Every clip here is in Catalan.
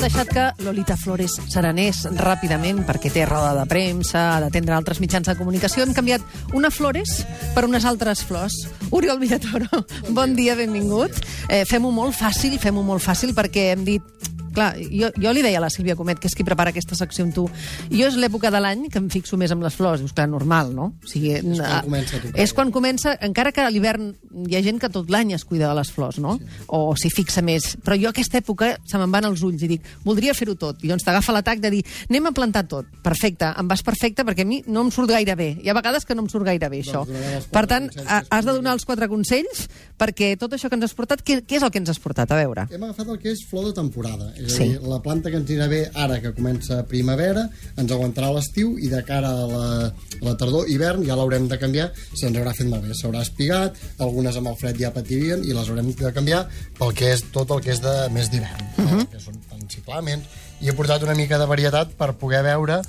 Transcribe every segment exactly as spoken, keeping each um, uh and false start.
deixat que Lolita Flores s'arenés ràpidament perquè té roda de premsa, ha d'atendre altres mitjans de comunicació. Hem canviat una Flores per unes altres flors. Oriol Villatoro, bon dia, benvingut. Eh, fem-ho molt fàcil, fem-ho molt fàcil perquè hem dit... Clar, jo, jo li deia a la Sílvia Comet, que és qui prepara aquesta secció amb tu, jo és l'època de l'any que em fixo més amb les flors. Dius, clar, normal, no? O sigui, és quan comença. Tu, és quan comença, encara que a l'hivern hi ha gent que tot l'any es cuida de les flors, no? Sí. O s'hi fixa més. Però jo aquesta època se me'n van els ulls i dic, voldria fer-ho tot. I llavors t'agafa l'atac de dir, anem a plantar tot. Perfecte, em vas perfecte perquè a mi no em surt gaire bé. Hi ha vegades que no em surt gaire bé, això. Doncs per tant, has de donar els quatre consells perquè tot això que ens has portat, què, què és el que ens has portat? A veure. Hem agafat el que és flor de temporada. És sí. a dir, la planta que ens anirà bé ara que comença primavera, ens aguantarà l'estiu i de cara a la, a la tardor, hivern, ja l'haurem de canviar, se'ns haurà fet malbé, s'haurà espigat, algunes amb el fred ja patirien i les haurem de canviar pel que és tot el que és de més d'hivern, uh -huh. que són ciclamens, i he portat una mica de varietat per poder veure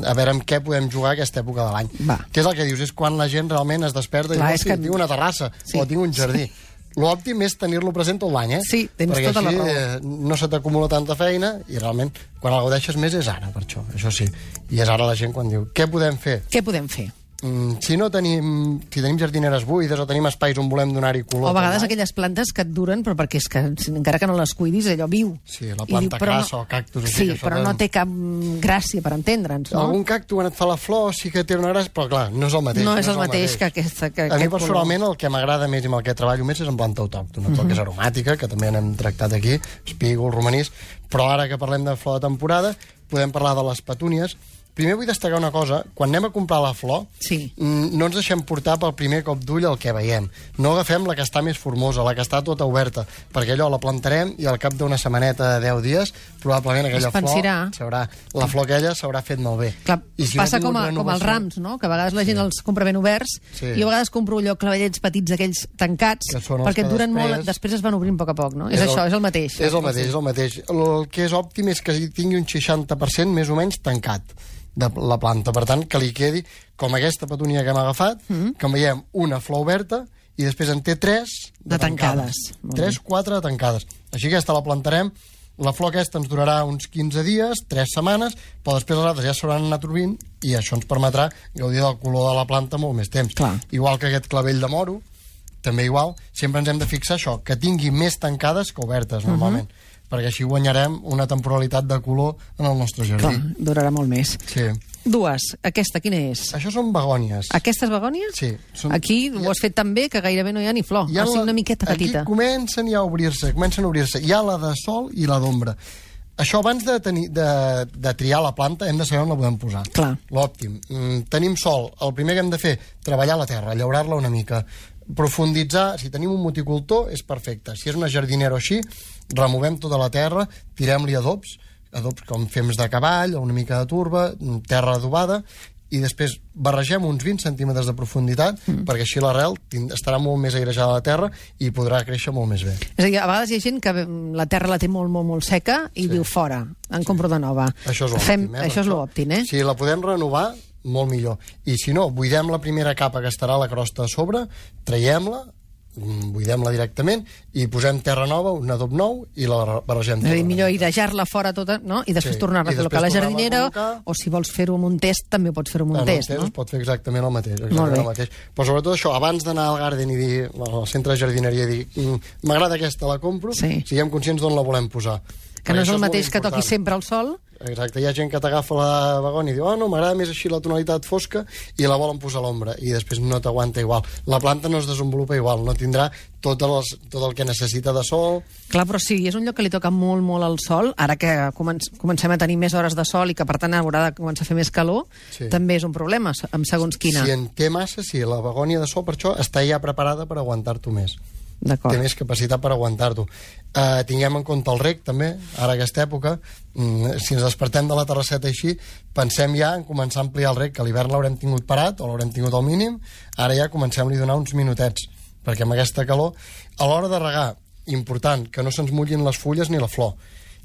a veure amb què podem jugar aquesta època de l'any. Què és el que dius? És quan la gent realment es desperta. Clar, i diu, oh, sí, que... tinc una terrassa sí. o tinc un jardí. Sí. L'òptim és tenir-lo present tot l'any, eh? Sí, tens perquè tota així, la raó. Eh, no se t'acumula tanta feina i realment quan el gaudeixes més és ara, per això, això sí. I és ara la gent quan diu, què podem fer? Què podem fer? Mm, si no tenim, si tenim jardineres buides o tenim espais on volem donar-hi color... O a vegades aquelles plantes que et duren, però perquè és que encara que no les cuidis, allò viu. Sí, la planta diu, crassa no... o cactus... Sí, però de... no té cap gràcia per entendre'ns, no? Algun cactus quan et fa la flor sí que té una gràcia, però clar, no és el mateix. No és el, no és el mateix, mateix que aquesta... Que, a mi personalment el que m'agrada més i amb el que treballo més és en planta autòctona, tot el que és aromàtica, que també n'hem tractat aquí, espígol, romanís, però ara que parlem de flor de temporada, podem parlar de les petúnies. Primer vull destacar una cosa, quan anem a comprar la flor, sí. no ens deixem portar pel primer cop d'ull el que veiem. No agafem la que està més formosa, la que està tota oberta, perquè allò la plantarem i al cap d'una setmaneta de deu dies, probablement aquella flor, s'haurà, la flor aquella s'haurà fet malbé. Clar, I si passa no com, a, renovació... com els rams, no? Que a vegades la gent sí. els compra ben oberts, sí. i a vegades compro allò clavellets petits, aquells tancats, perquè et duren després... molt, després es van obrint a poc a poc, no? És, és el, això, és el mateix. És el mateix, és el mateix. El que és òptim és que tingui un seixanta per cent més o menys tancat de la planta, per tant, que li quedi com aquesta petúnia que hem agafat, mm -hmm. que en veiem una flor oberta i després en té tres de, de tancades. tancades. Tres, quatre de tancades. Així que aquesta la plantarem, la flor aquesta ens durarà uns quinze dies, tres setmanes, però després les altres ja s'hauran anat trobint i això ens permetrà gaudir del color de la planta molt més temps. Clar. Igual que aquest clavell de moro, també igual, sempre ens hem de fixar això, que tingui més tancades que obertes, normalment. Mm -hmm. perquè així guanyarem una temporalitat de color en el nostre jardí. Clar, durarà molt més. Sí. Dues. Aquesta, quina és? Això són begònies. Aquestes begònies? Sí. Són... Aquí ho has fet tan bé que gairebé no hi ha ni flor. Ha sigut una miqueta petita. Aquí comencen ja a obrir-se, comencen a obrir-se. Hi ha la de sol i la d'ombra. Això, abans de, tenir, de, de triar la planta, hem de saber on la podem posar. Clar. L'òptim. Mm, tenim sol. El primer que hem de fer, treballar la terra, llaurar-la una mica. Profunditzar, si tenim un moticultor, és perfecte. Si és una jardinera o així, removem tota la terra, tirem-li adobs, adobs com fems de cavall, o una mica de turba, terra adobada, i després barregem uns vint centímetres de profunditat, mm. perquè així l'arrel estarà molt més airejada a la terra i podrà créixer molt més bé. És a dir, a vegades hi ha gent que la terra la té molt, molt, molt seca i sí. diu fora, en sí. compro de nova. Això és l'òptim, eh? Això és l'òptim, eh? Si la podem renovar, molt millor. I si no, buidem la primera capa que estarà a la crosta a sobre, traiem-la, buidem-la directament i posem terra nova, un adob nou i la barregem. És a dir, millor airejar-la fora tota, no? I després sí. tornar-la a col·locar a la jardinera, o si vols fer-ho amb un test, també pots fer-ho amb un en test, un test no? es pot fer exactament el mateix. Exactament el mateix. Però sobretot això, abans d'anar al garden i dir, al centre de jardineria, i dir, m'agrada aquesta, la compro, sí. siguem conscients d'on la volem posar. Que no és el mateix que toqui sempre al sol. Exacte, hi ha gent que t'agafa la begònia i diu, oh no, m'agrada més així la tonalitat fosca i la volen posar a l'ombra i després no t'aguanta igual. La planta no es desenvolupa igual, no tindrà tot, les, tot el que necessita de sol. Clar, però sí, és un lloc que li toca molt, molt al sol, ara que comenc comencem a tenir més hores de sol i que per tant haurà de començar a fer més calor, sí. també és un problema, amb segons quina. Si en té massa, sí, la begònia de sol per això està ja preparada per aguantar-t'ho més. Té més capacitat per aguantar-t'ho. Uh, tinguem en compte el reg, també, ara aquesta època. Mm, si ens despertem de la terrasseta així, pensem ja en començar a ampliar el reg, que a l'hivern l'haurem tingut parat o l'haurem tingut al mínim, ara ja comencem-li a donar uns minutets, perquè amb aquesta calor, a l'hora de regar, important, que no se'ns mullin les fulles ni la flor.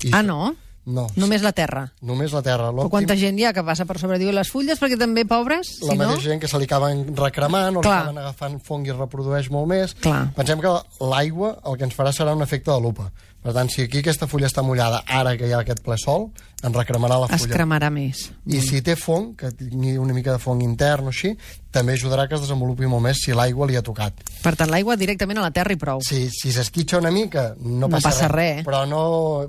I ah, no? No. Només la terra? Només la terra. Però quanta gent hi ha que passa per sobre, diu, les fulles, perquè també, pobres, la si no... mateixa gent que se li acaben recremant o Clar. li acaben agafant fong i es reprodueix molt més. Clar. Pensem que l'aigua el que ens farà serà un efecte de lupa, Per tant, si aquí aquesta fulla està mullada, ara que hi ha aquest ple sol, en recremarà la fulla. Es cremarà més. I si té fong, que tingui una mica de fong intern o així, també ajudarà que es desenvolupi molt més si l'aigua li ha tocat. Per tant, l'aigua directament a la terra i prou. Si, si s'esquitxa una mica, no, No passa, passa res. res. Però no,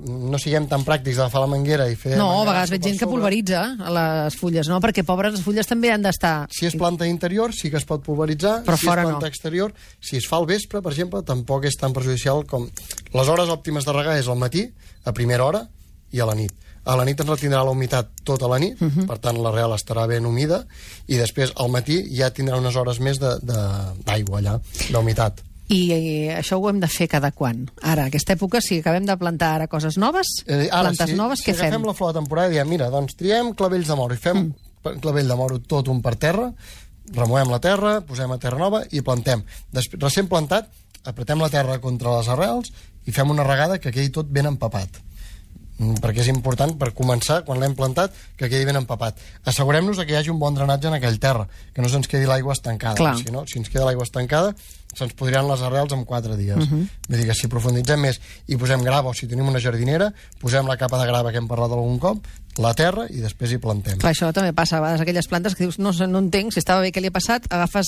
no siguem tan pràctics d'agafar la manguera i fer... No, a manguera vegades veig per gent que sobre. pulveritza a les fulles, no? Perquè, pobres, les fulles també han d'estar... Si és planta interior, sí que es pot pulveritzar. Però si fora és planta no. exterior, si es fa al vespre, per exemple, tampoc és tan perjudicial com... Les hores òptimes de regar és al matí, a primera hora, i a la nit. A la nit ens retindrà la humitat tota la nit, uh -huh. per tant l'arrel estarà ben humida, i després al matí ja tindrà unes hores més d'aigua allà, d'humitat. I, I això ho hem de fer cada quan? Ara, aquesta època, si acabem de plantar ara coses noves, Eh, ara, plantes si, noves, si què fem? agafem la flor de temporada i diem, mira, doncs triem clavells de moro, i fem mm. clavell de moro tot un per terra, removem la terra, posem a terra nova i plantem. Després, recent plantat, apretem la terra contra les arrels i fem una regada que quedi tot ben empapat. Perquè és important, per començar, quan l'hem plantat, que quedi ben empapat. Assegurem-nos que hi hagi un bon drenatge en aquell terra, que no se'ns quedi l'aigua estancada. Clar. Si no, si ens queda l'aigua estancada, se'ns podriran les arrels en quatre dies. Uh -huh. Vull dir que si profunditzem més i posem grava, o si tenim una jardinera, posem la capa de grava que hem parlat algun cop, la terra, i després hi plantem. Clar, això també passa a vegades, aquelles plantes que dius, no, sé, no entenc, si estava bé què li ha passat, agafes,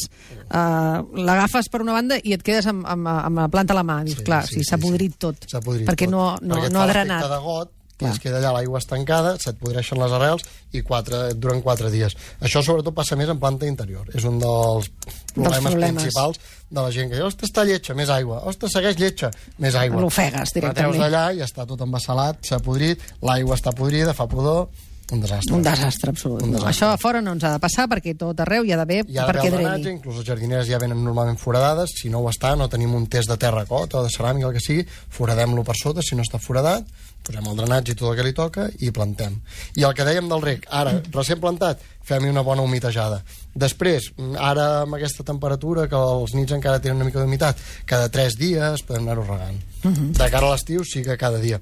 uh, l'agafes per una banda i et quedes amb, amb, amb la planta a la mà. Dius, Sí, clar, sí, si sí, s'ha sí. podrit tot, S'ha podrit perquè tot. no, no, perquè et no fa ha l'efecte drenat. de got, i Clar. es queda allà l'aigua estancada, se't podreixen les arrels i quatre, duren quatre dies. Això sobretot passa més en planta interior. És un dels problemes, problemes. principals de la gent que diu, ostres, està lletja, més aigua, ostres, segueix lletja, més aigua. L'ofegues La treus directament. d'allà i està tot embassalat, s'ha podrit, l'aigua està podrida, fa pudor, un desastre. Un desastre absolut. Un No, desastre. això a fora no ens ha de passar perquè tot arreu hi ha d'haver Hi ha d'haver perquè el drenatge, dreni. inclús les jardineres ja venen normalment foradades, si no ho està, no tenim un test de terracota o de ceràmica, el que sigui, foradem-lo per sota, si no està foradat, posem el drenatge i tot el que li toca i plantem. I el que dèiem del rec, ara, recent plantat, fem-hi una bona humitejada. Després, ara amb aquesta temperatura, que els nits encara tenen una mica d'humitat, cada tres dies podem anar-ho regant. Uh -huh. De cara a l'estiu sí que cada dia.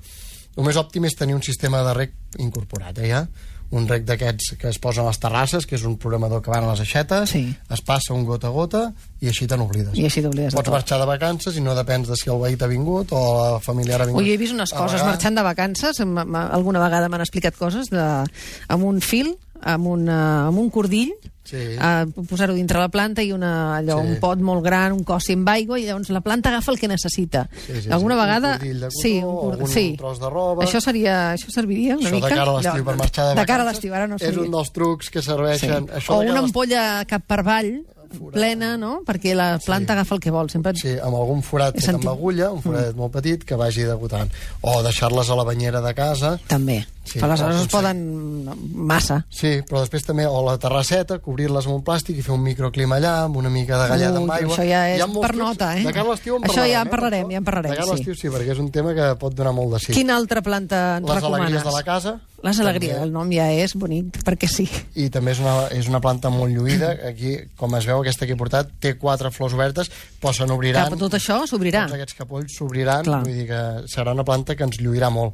El més òptim és tenir un sistema de rec incorporat, eh, ja? Un rec d'aquests que es posen a les terrasses, que és un programador que van a les aixetes, Sí. es passa un gota a gota i així te n'oblides. I així t'oblides de Pots tot. marxar de vacances i no depens de si el veí t'ha vingut o la familiar ha vingut. Ui, he vist unes a coses regar. marxant de vacances, m- m- alguna vegada m'han explicat coses de, amb un fil, amb, una, amb un cordill, Sí. a posar-ho dintre la planta i una, allò, Sí. un pot molt gran, un cossi amb aigua, i llavors la planta agafa el que necessita. Sí, sí, Alguna sí. vegada... Un cordill de cotó, sí, un, cor... algun sí. tros de roba. Això, seria, això serviria una Això mica? de cara a l'estiu Allò, per marxar de vacances De cara a l'estiu, ara no és seria. un dels trucs que Sí. serveixen. Això O de cara una a l'estiu- ampolla cap per avall, plena, no? Perquè la planta agafa el que vol. Sempre... Sí, amb algun forat He fet amb sentit. agulla, un forat molt petit, que vagi degotant. O deixar-les a la banyera de casa. També. Sí, Però aleshores però es poden massa. Sí, però després també, o la terrasseta, cobrir-les amb un plàstic i fer un microclima allà, amb una mica de galleda Ui, amb aigua. això ja és Hi ha molts per trucs. nota, eh? De cara a l'estiu en Això parlarem, ja en eh, parlarem, d'això? ja en parlarem, De cara a l'estiu sí. sí, perquè és un tema que pot donar molt de sí. Quina altra planta ens Les recomanes? alegries de la casa. Les alegries, també. el nom ja és bonic, perquè sí. I també és una, és una planta molt lluïda. Aquí, com es veu, aquesta que he portat té quatre flors obertes, però se n'obriran. Cap, tot això s'obrirà. Tots aquests capolls s'obriran, Clar. vull dir que serà una planta que ens lluirà molt.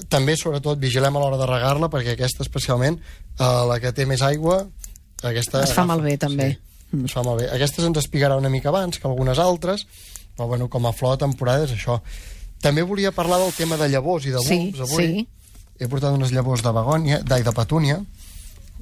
També, sobretot, vigilem a l'hora de regar-la, perquè aquesta especialment, eh, la que té més aigua, aquesta... Es fa agafa- malbé, també. Sí, es fa malbé. Aquesta se'ns espigarà una mica abans que algunes altres, però bueno, com a flor de temporada és això. També volia parlar del tema de llavors i de bulbs, Sí, avui. sí. He portat unes llavors de begònia, d'ai, de petúnia,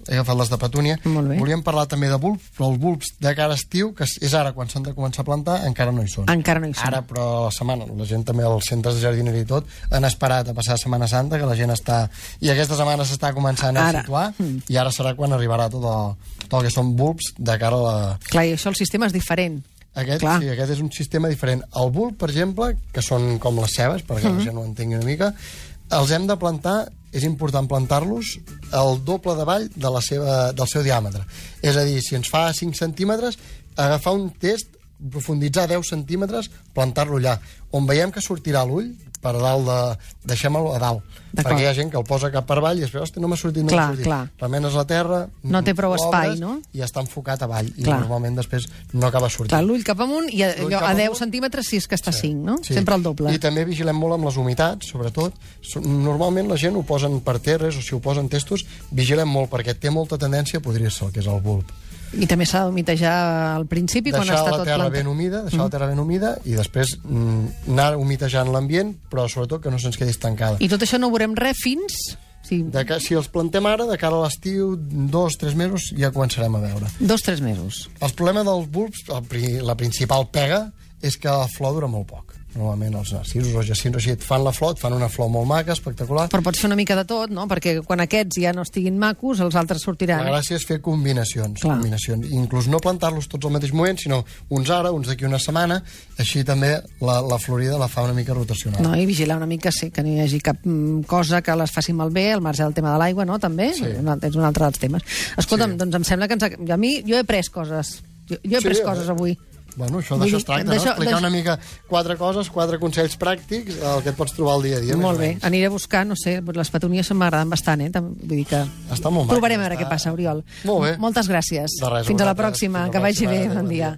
he agafat les de petúnia. Molt bé. Volíem parlar també de bulbs, però els bulbs de cara a estiu, que és ara quan s'han de començar a plantar, encara no hi són. Encara no hi són. Ara, però la setmana, la gent també als centres de jardineria i tot, han esperat a passar Setmana Santa, que la gent està... I aquesta setmana s'està començant a Ara. situar, Mm. i ara serà quan arribarà tot el, tot el que són bulbs de cara a la... Clar, i això el sistema és diferent. Aquest, Clar. sí, aquest és un sistema diferent. El bulb, per exemple, que són com les cebes, perquè Mm-hmm. la gent ho entengui una mica, els hem de plantar, és important plantar-los el doble de vall de la seva, del seu diàmetre. És a dir, si ens fa cinc centímetres, agafar un test, profunditzar deu centímetres, plantar-lo allà. On veiem que sortirà l'ull, per dalt de... deixem-lo a dalt. D'acord. Perquè hi ha gent que el posa cap per avall i després, hosti, no m'ha sortit, no Clar, m'ha sortit. clar. Remenes la terra... No té prou l'obres espai, no? I està enfocat avall. I Clar. normalment després no acaba sortint. Clar, l'ull cap amunt i a, L'ull allò, cap a deu amunt. centímetres si és que està a cinc, no? Sí. Sempre el doble. I també vigilem molt amb les humitats, sobretot. So- Normalment la gent ho posen per terres o si ho posen testos, vigilem molt perquè té molta tendència a podrir-se el que és el bulb. I també s'ha d'humitejar al principi, quan està tot plantat. Deixar la terra ben humida, deixar mm. la terra ben humida i després mm, anar humitejant l'ambient, però sobretot que no se'ns quedi estancada. I tot això no veurem res fins... Sí. De que, si els plantem ara, de cara a l'estiu, dos, tres mesos, ja començarem a veure. Dos, tres mesos. El problema dels bulbs, el, la principal pega, és que la flor dura molt poc. Normalment els narcisos o els jacins així et fan la flor, et fan una flor molt maca, espectacular. Però pots fer una mica de tot, no? Perquè quan aquests ja no estiguin macos, els altres sortiran. La gràcia és fer combinacions. combinacions. Inclús no plantar-los tots al mateix moment, sinó uns ara, uns d'aquí una setmana, així també la, la florida la fa una mica rotacional. No, i vigilar una mica, sí, que no hi hagi cap cosa que les faci malbé, al marge del tema de l'aigua, no? També? Sí. És un altre dels temes. Escolta'm, sí. doncs em sembla que ens ha... a mi, jo he pres coses. Jo, jo he sí, pres coses avui. Bueno, això d'això es tracta, no? Explicar una mica quatre coses, quatre consells pràctics, el que et pots trobar al dia a dia. Molt bé, aniré a buscar, no sé, les petunies m'agraden bastant, eh? Vull dir que... Està molt maco. Provarem a veure què passa, Oriol. Molt bé. Moltes gràcies. De res, Fins a la pròxima, que vagi bé, bon dia.